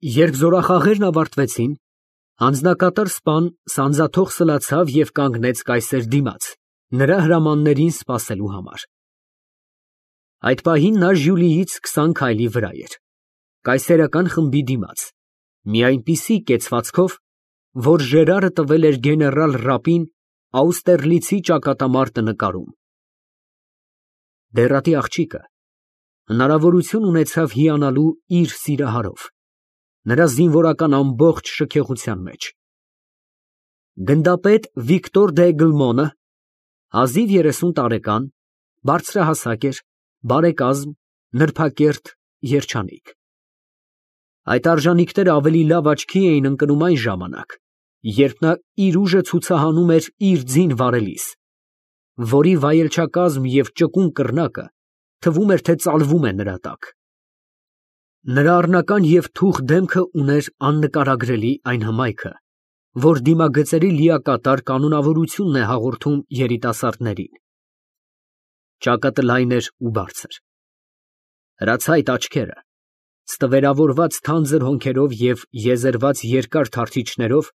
Երբ զորախաղերն ավարտվեցին, անձնակատար սպան սանձաթող սլացավ և կանգնեց կայսեր դիմաց, նրա հրամաններին սպասելու համար։ Այդ պահին նա Ժյուլիից 20 քայլի վրա էր, կայսերական խմբի դիմաց, մի այնպիսի կեցվածքով, որ Ժերարը տվել էր գեներալ Ռապին Աուստերլիցի ճակատամարտը նկարում։ Բեռատի աղջիկը հնարավորություն ունեցավ հիանալու իր սիրահարով, նրա զինվորական ամբողջ շքեղության մեջ։ Գնդապետ Վիկտոր դե Էգլմոնը, հազիվ 30 տարեկան, բարձրահասակ էր, բարեկազմ, նրբակերտ, երջանիկ։ Այդ արժանինքները ավելի լավ աչքի էին ընկնում այն ժամանակ, երբ նա իր ուժը ցուցահանում էր իր ձին վարելիս, որի վայելչակազմ և ճկուն կռնակը թվում էր, թե ծալվում է նրա տակ։ Նրա առնական և թուխ դեմքը ուներ աննկարագրելի այն հմայքը, որ դիմագծերի լիակատար կանոնավորությունն է հաղորդում երիտասարդներին։ Ճակատը լայն էր ու բարձր։ Հրացայտ աչքերը, ստվերավորված թանձր հոնքերով և եզերված երկար թարթիչներով,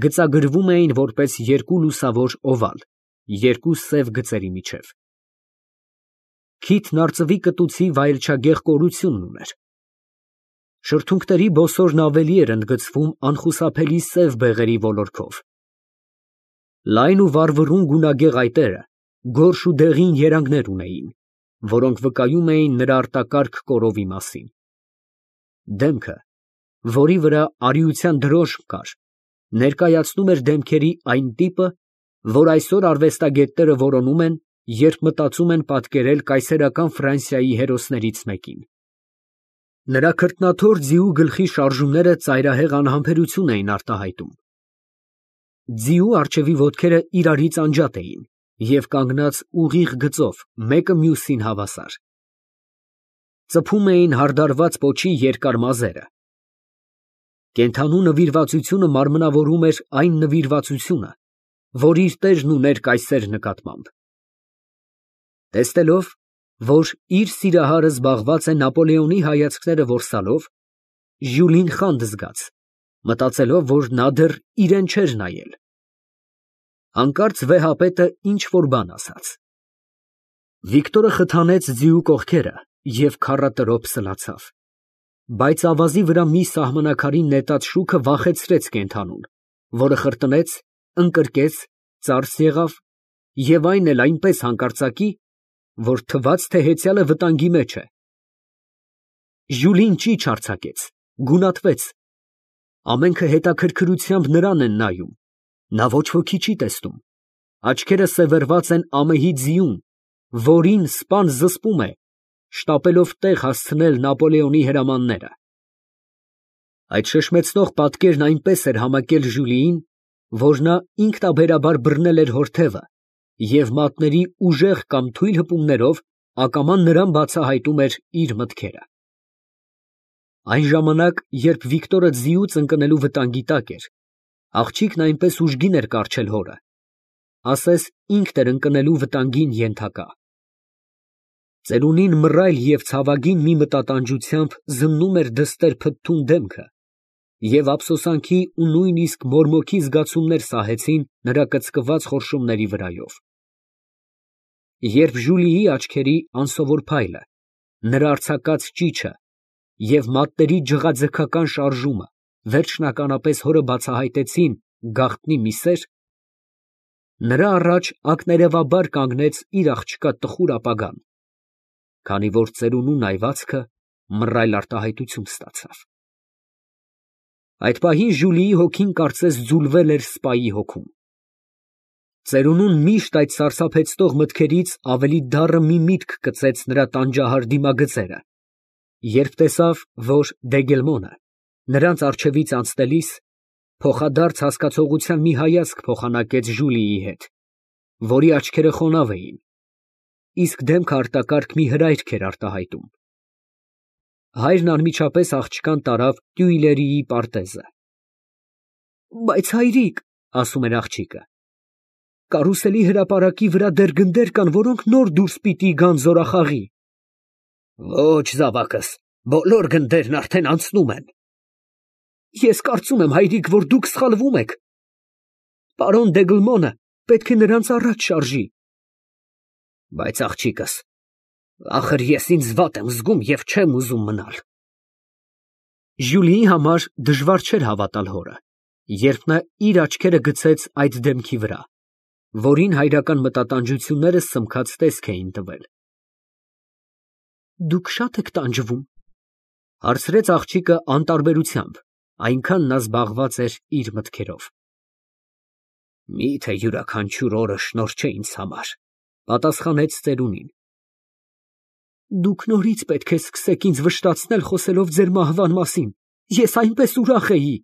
գծագրվում էին որպես երկու լուսավոր օվալ երկու սև գծերի միջև։ Քիթն արծվի կտուցի վայելչագեղ կորությունն ուներ։ Շրթունքների բոսորն ավելի էր ընդգծվում անխուսափելի սև բեղերի ոլորքով։ Լայն ու վառվռուն գունագեղ այտերը գորշ ու դեղին երանգներ ունեին, որոնք վկայում էին նրա արտակարգ կորովի մասին։ Դեմքը, որի վրա արիության դրոշմ կար, ներկայացնում էր դեմքերի այն տիպը, որ այսօր արվեստագետները որոնում են, երբ մտածում են պատկերել կայսերական Ֆրանսիայի հերոսներից մեկին։ Նրա քրտնաթոր ձիու գլխի շարժումները ծայրահեղ անհամբերություն էին արտահայտում։ Ձիու առջևի ոտքերը իրարից անջատ էին և կանգնած ուղիղ գծով մեկը մյուսին հավասար։ Ծփում էին հարդարված պոչի երկար մազերը։ Կենդանու նվիրվածությունը մարմնավորում էր այն նվիրվածությունը, որ իր տերն ուներ կայսեր նկատմամբ։ Տեսնելով, որ իր սիրահարը զբաղված է Նապոլեոնի հայացքները որսալով, Ժյուլին խանդ զգաց, մտածելով, որ նա դեռ իրան չէր նայել։ Հանկարծ վեհապետը ինչ֊որ բան ասաց։ Վիկտորը խթանեց ձիու կողքերը և քառատրոփ սլացավ, բայց ավազի վրա մի սահմանակարին նետած շուքը վախեցրեց կենդանուն, որը խրտնեց, ընկրկեց, ծարս եղավ և այն էլ այնպես հանկարծակի, որ թվաց, թե հեծյալը վտանգի մեջ է։ Ժյուլին ճիչ արձակեց, գունատվեց։ Ամենքը հետաքրքրությամբ նրան են նայում, նա ոչ ոքի չի տեսնում, աչքերը սևեռված են ամեհի ձիուն, որին սպան զսպում է, շտապելով տեղ հասցնել Նապոլեոնի հրամանները։ Այդ շշմեցնող պատկերն այնպես էր համակել Ժյուլիին, որ նա ինքնաբերաբար բռնել էր հոր թևը և մատների ուժեղ կամ թույլ հպումներով ակամա նրան բացահայտում էր իր մտքերը։ Այն ժամանակ, երբ Վիկտորը ձիուց ընկնելու վտանգի տակ էր, աղջիկն այնպես ուժգին էր կառչել հորը, ասես ինքն էր ընկնելու վտանգին ենթակա։ Ծերունին մռայլ և ցավագին մի մտատանջությամբ զննում էր դստեր փթթուն դեմքը, և ափսոսանքի ու նույնիսկ մորմոքի զգացումներ սահեցին նրա կծկված խորշումների վրայով։ Երբ Ժուլիի աչքերի անսովոր փայլը, նրա արձակած ճիչը և մատների ջղաձգական շարժումը վերջնականապես հորը բացահայտեցին գաղտնի մի սեր, նրա առաջ ակներևաբար կանգնեց իր աղջկա տխուր ապագան, քանի որ ծերունու նայվածքը մռայլ արտահայտություն ստացավ։ Այդ պահին Ժուլիի հոգին կարծես ձուլվել էր սպայի հոգում։ Ծերունուն միշտ այդ սարսափեցնող մտքերից ավելի դառը մի միտք կծեց նրա տանջահար դիմագծերը, երբ տեսավ, որ Դեգելմոնը նրանց առջևից անցնելիս փոխադարձ հասկացողության մի հայացք փոխանակեց Ժուլիի հետ, որի աչքերը խոնավ էին, իսկ դեմքը արտակարգ մի հրայք էր արտահայտում։ Հայրն անմիջապես աղջկան տարավ Տյուիլերիի պարտեզը։ Բայց հայրիկ, ասում էր աղջիկը, կարուսելի հրապարակի վրա դեռ գնդեր կան, որոնք նոր դուրս պիտի գան զորախաղի։ Ոչ, զավակս, բոլոր գնդերն արդեն անցնում են։ Ես կարծում եմ, հայրիկ, որ դուք սխալվում եք։ Պարոն Դեգլմոնը պետք է նրանց առաջ շարժի։ Բայց աղջիկս, ախր ես ինձ վատ եմ զգում և չեմ ուզում մնալ։ Ժյուլիի համար դժվար չէր հավատալ հորը, երբ նա իր աչքերը գցեց այդ դեմքի վրա, որին հայրական մտատանջությունները սմքած տեսք էին տվել։ Դուք շատ եք տանջվում, հարցրեց աղջիկը անտարբերությամբ, այնքան նա զբաղված էր իր մտքերով։ Միթե յուրաքանչյուր օրը շնորհ չէ ինձ համար, պատասխանեց ծերունին։ Դուք նորից պետք է սկսեք ինձ վշտացնել խոսելով ձեր մահվան մասին, ես այնպես ուրախ էի։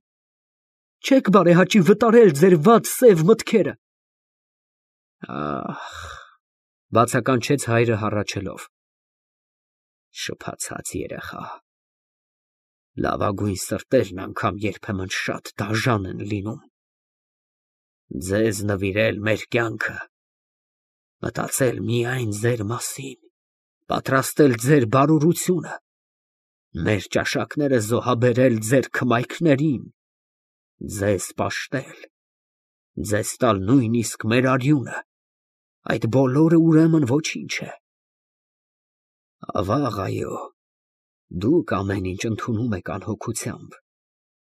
Չեք բարեհաճի վտարել ձեր վատ սև մտքերը։ Ահ, բացականչեց հայրը հառաչելով։ Շփացած երեխա։ Լավագույն սրտերն անգամ երբեմն շատ դաժան են լինում։ Ձեզ նվիրել մեր կյանքը, մտածել միայն ձեր մասին, պատրաստել ձեր բարօրությունը, մեր ճաշակները զոհաբերել ձեր քմայքներին, ձեզ պաշտել, ձեզ տալ նույնիսկ մեր արյունը, այդ բոլորը ուրեմն ոչինչ է։ Ավաղ, այո, դուք ամեն ինչ ընդունում եք անհոգությամբ,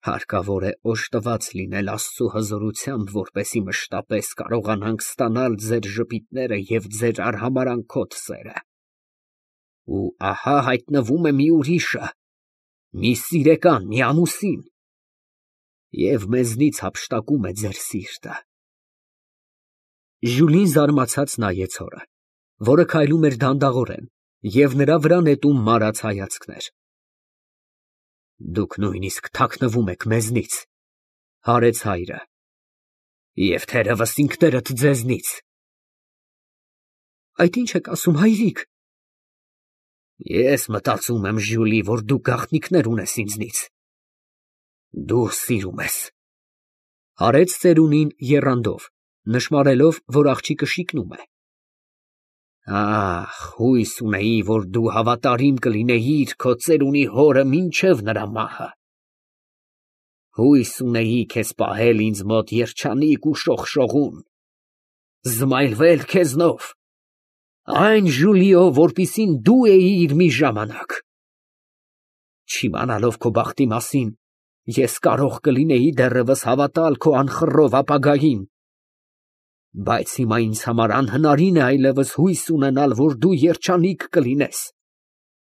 հարկավոր է օժտված լինել Աստծու հզորությամբ, որպեսզի մշտապես կարողանանք ստանալ ձեր ժպիտները և ձեր արհամարհանքոտ սերը։ Ու ահա հայտնվում է մի ուրիշը, մի սիրեկան, մի ամուսին, և մեզնից հափշտակում է ձեր սիրտը։ Ժյուլին զարմացած նայեց հորը, որը քայլում էր դանդաղորեն և նրա վրա նետում մարած հայացքներ։ Դուք նույնիսկ թաքնվում եք մեզնից, հարեց հայրը, և թերևս ինքներդ ձեզնից։ Այդ ինչ եք ասում, հայրիկ։ Ես մտածում եմ, Ժյուլի, որ դու գաղտնիքներ ունես ինձնից։ Դու սիրում ես, հարեց ծերունին եռանդով, նշմարելով, որ աղջիկը շիկնում է։ Ահ, հույս ունեի, որ դու հավատարիմ կլինեիր քո ծերունի հորը մինչև նրա մահը։ Հույս ունեի քեզ պահել ինձ մոտ երջանիկ ու շողշողուն, զմայլվել քեզնով, այն Ժուլիո, որպիսին դու էիր մի ժամանակ։ Չիմանալով քո բախտի մասին, ես կարող կլինեի դեռևս հավատալ քո անխռով ապագային, բայց հիմա ինձ համար անհնարին է այլևս հույս ունենալ, որ դու երջանիկ կլինես,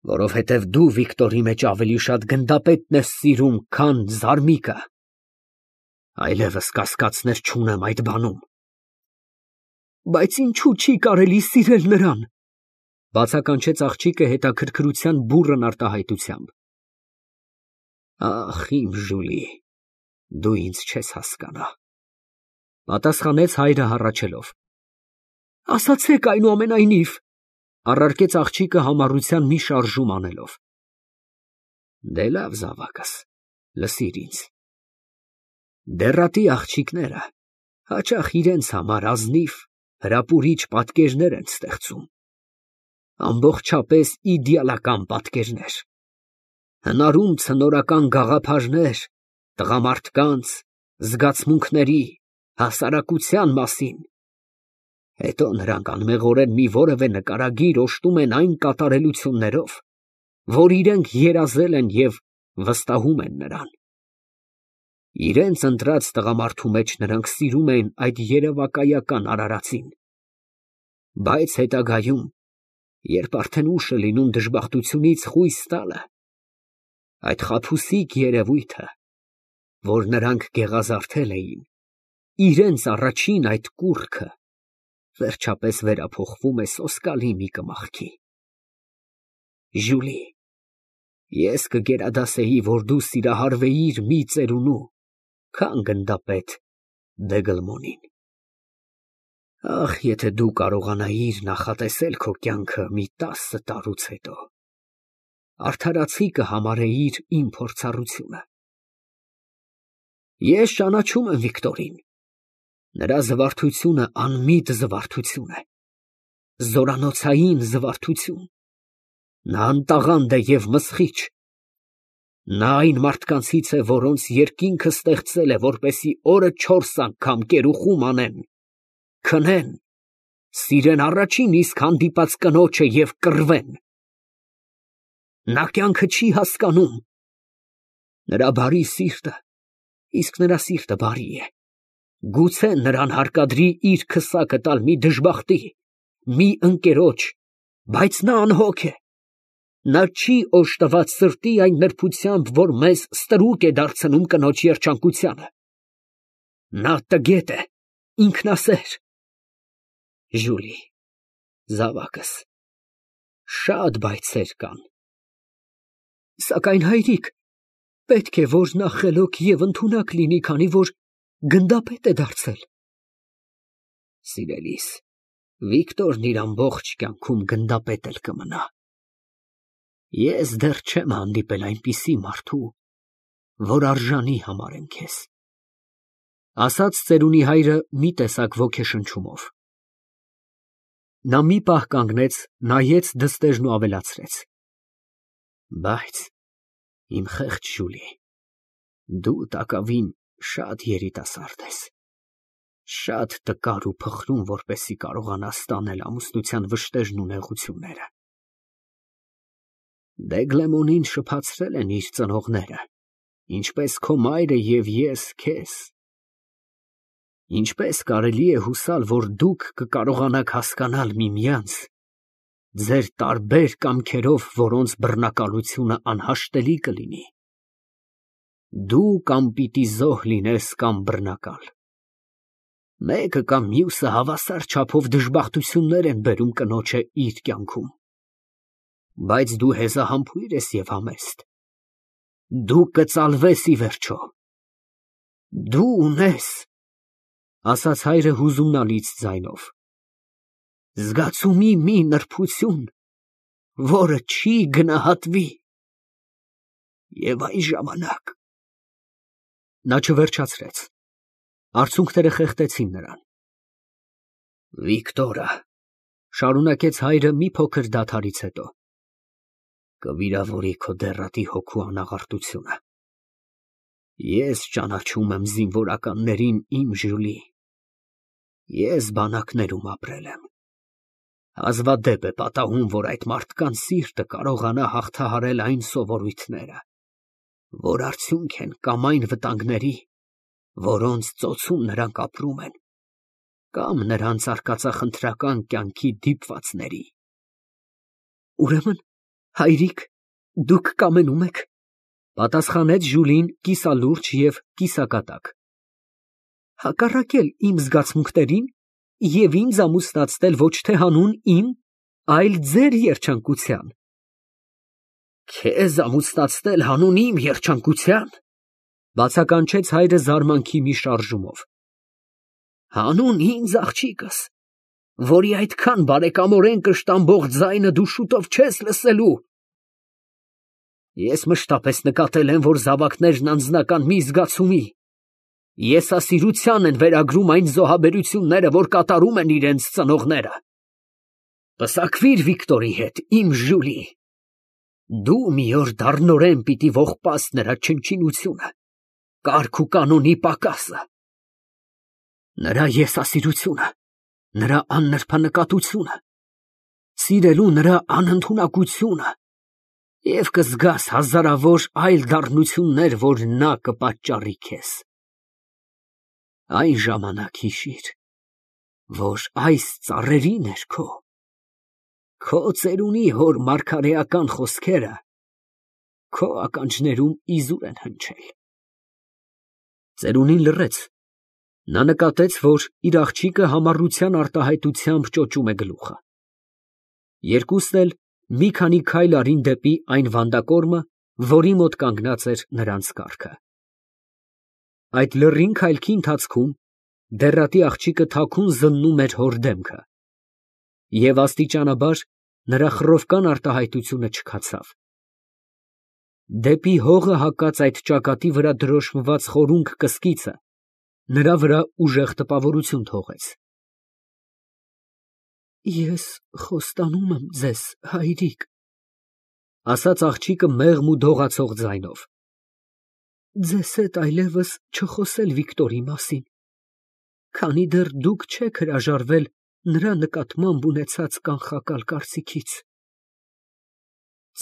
որովհետև դու Վիկտորի մեջ ավելի շատ գնդապետն ես սիրում, քան զարմիկը։ Այլևս կասկածներ չունեմ այդ բանում։ Բայց ինչու չի կարելի սիրել նրան, բացականչեց աղջիկը հետաքրքրության բուռն արտահայտությամբ։ Ախ, իմ Ժուլի, դու ինձ չես հասկանա, պատասխանեց հայրը հառաչելով։ Ասացեք այնուամենայնիվ, առարկեց աղջիկը համառության մի շարժում անելով։ Դե լավ, զավակս, լսիր ինձ։ Դեռատի աղջիկները հաճախ իրենց համար ազնիվ, հրապուրիչ պատկերներ են ստեղծում, ամբողջապես իդեալական պատկերներ, հնարում ցնորական գաղափարներ տղամարդկանց, զգացմունքների, հասարակության մասին, հետո նրանք անմեղորեն մի որևէ նկարագիր օժտում են այն կատարելություններով, որ իրենք երազել են և վստահում են նրան։ Իրենց ընտրած տղամարդու մեջ նրանք սիրում են այդ երևակայական արարածին, բայց հետագայում, երբ արդեն ուշ է լինում դժբախտությունից խույս տալը, այդ խաբուսիկ երևույթը, որ նրանք գեղազարդել էին, իրենց առաջին այդ կուռքը վերջապես վերափոխվում է սոսկալի մի կմախքի։ Ժուլի, ես կգերադասեի, որ դու սիրահարվեիր մի ծերունու, քան գնդապետ Դեգլմոնին։ Ախ, եթե դու կարողանայիր նախատեսել քո կյանքը մի 10 տարուց հետո, արդարացի կհամարեիր իմ փորձառությունը։ Ես ճանաչում եմ Վիկտորին, նրա զվարթությունը անմիտ զվարթություն է, զորանոցային զվարթություն, նա անտաղանդ է և մսխիչ, Նա այն մարդկանցից է, որոնց երկինքը ստեղծել է, որպեսզի օրը 4 անգամ կերուխում անեն, քնեն, սիրեն առաջին իսկ հանդիպած կնոջը և կռվեն։ Նա կյանքը չի հասկանում։ Նրա բարի սիրտը, իսկ նրա սիրտը բարի է, գուցե նրան հարկադրի իր քսակը տալ մի դժբախտի, մի ընկերոջ, բայց նա անհոգ է։ Նա չի օժտված սրտի այն նրբությամբ, որ մեզ ստրուկ է դարձնում կնոջ երջանկությանը։ Նա տգետ է, ինքնասեր։ Ժուլի, զավակս, շատ բայցեր կան։ Սակայն հայրիկ, պետք է, որ նա խելոք և ընդունակ լինի, քանի որ գնդապետ է դարձել։ Սիրելիս, Վիկտորն իր ամբողջ կյանքում գնդապետ էլ կմնա։ Ես դեռ չեմ հանդիպել այնպիսի մարդու, որ արժանի համարեմ քեզ, ասաց ծերունի հայրը մի տեսակ ոգեշնչումով։ Նա մի պահ կանգնեց, նայեց դստերն ու ավելացրեց. Բայց, իմ խեղճ Ժուլի, դու տակավին շատ երիտասարդ ես, շատ տկար ու փխրուն, որպեսզի կարողանաս տանել ամուսնության վշտերն ու նեղությունները։ Դեգլեմոնին շփացրել են իր ծնողները, ինչպես քո մայրը և ես քեզ։ Ինչպես կարելի է հուսալ, որ դուք կկարողանաք հասկանալ միմյանց, ձեր տարբեր կամքերով, որոնց բռնակալությունը անհաշտելի կլինի։ Դու կամ պիտի զոհ լինես, կամ բռնակալ։ Մեկը կամ մյուսը հավասար չափով դժբախտություններ են բերում կնոջը իր կյանքում։ Բայց դու հեզահամբույր ես և համեստ։ Դու կծալվես ի վերջո։ Դու ունես, ասաց հայրը հուզումնալից ձայնով, զգացումի մի նրբություն, որը չի գնահատվի։ Եվ այն ժամանակ… Նա չվերջացրեց։ Արցունքները խեղդեցին նրան։ Վիկտորը, շարունակեց հայրը մի փոքր դադարից հետո, կվիրավորի քո դեռատի հոգու անաղարտությունը։ Ես ճանաչում եմ զինվորականներին, իմ Ժուլի։ Ես բանակներում ապրել եմ։ Հազվադեպ է պատահում, որ այդ մարդկանց սիրտը կարողանա հաղթահարել այն սովորույթները, որ արդյունք են կամ այն վտանգների, որոնց ծոցում նրանք ապրում են, կամ նրանց արկածախնդրական կյանքի դիպվածների։ Ուրեմն, հայրիկ, դուք կամենում եք, պատասխանեց Ժուլին կիսալուրջ և կիսակատակ, հակառակել իմ զգացմունքներին և ինձ ամուսնացնել ոչ թե հանուն իմ, այլ ձեր երջանկության։ Քեզ ամուսնացնել հանուն իմ երջանկության, բացականչեց հայրը զարմանքի մի շարժումով։ Հանուն ինձ, աղջիկս, որի այդքան բարեկամորեն կշտամբող ձայնը դու շուտով չես լսելու։ Ես մշտապես նկատել եմ, որ զավակներն անձնական մի զգացումի, եսասիրության են վերագրում այն զոհաբերությունները, որ կատարում են իրենց ծնողները։ Պսակվիր Վիկտորի հետ, իմ Ժուլի։ Դու մի օր դառնորեն պիտի ողբաս նրա չնչինությունը, կարգ ու կանոնի պակասը։ Նրա եսասիրությունը, նրա աննրբանկատությունը, սիրելու նրա անընդունակությունը, և կզգաս հազարավոր այլ դառնություններ, որ նա կպատճառի քեզ։ Այն ժամանակ հիշիր, որ այս ծառերի ներքո քո ծերունի հոր մարգարեական խոսքերը քո ականջներում իզուր են հնչել։ Ծերունին լռեց։ Նա նկատեց, որ իր աղջիկը համառության արտահայտությամբ ճոճում է գլուխը։ Երկուսն էլ մի քանի քայլ արին դեպի այն վանդակորմը, որի մոտ կանգնած էր նրանց կառքը։ Այդ լռին քայլքի ընթացքում դեռատի աղջիկը թաքուն զննում էր հոր դեմքը, և աստիճանաբար նրա խռովկան արտահայտությունը չքացավ։ Դեպի հողը հակած այդ ճակատի վրա դրոշմված խորունգ կսկիցը նրա վրա ուժեղ տպավորություն թողեց։ Ես խոստանում եմ ձեզ, հայրիկ, ասաց աղջիկը մեղմ ու դողացող ձայնով։ ձեզ հետ այլևս չխոսել Վիկտորի մասին, քանի դեռ դուք չեք հրաժարվել նրա նկատմամբ ունեցած կանխակալ կարծիքից։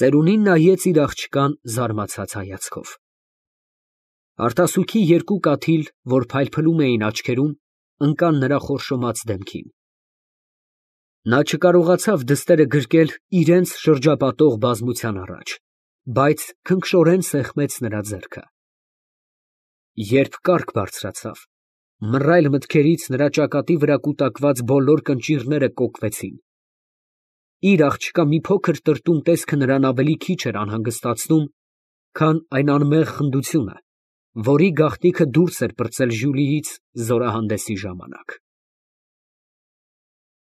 Ծերունին նայեց իր աղջկան զարմացած հայացքով։ Արտասուքի երկու կաթիլ, որ փայլփլում էին աչքերում, ընկան նրա խորշոմած դեմքին։ Նա չկարողացավ դստերը գրկել իրենց շրջապատող բազմության առաջ, բայց քնքշորեն սեղմեց նրա ձեռքը։ Երբ կառք բարձրացավ, մռայլ մտքերից նրա ճակատի վրա կուտակված բոլոր կնճիռները կոկվեցին։ Իր աղջկա մի փոքր տրտում տեսքը նրան ավելի քիչ էր անհանգստացնում, քան այն անմեղ խնդությունը, որի գաղտնիքը դուրս էր պրծել Ժյուլիից զորահանդեսի ժամանակ։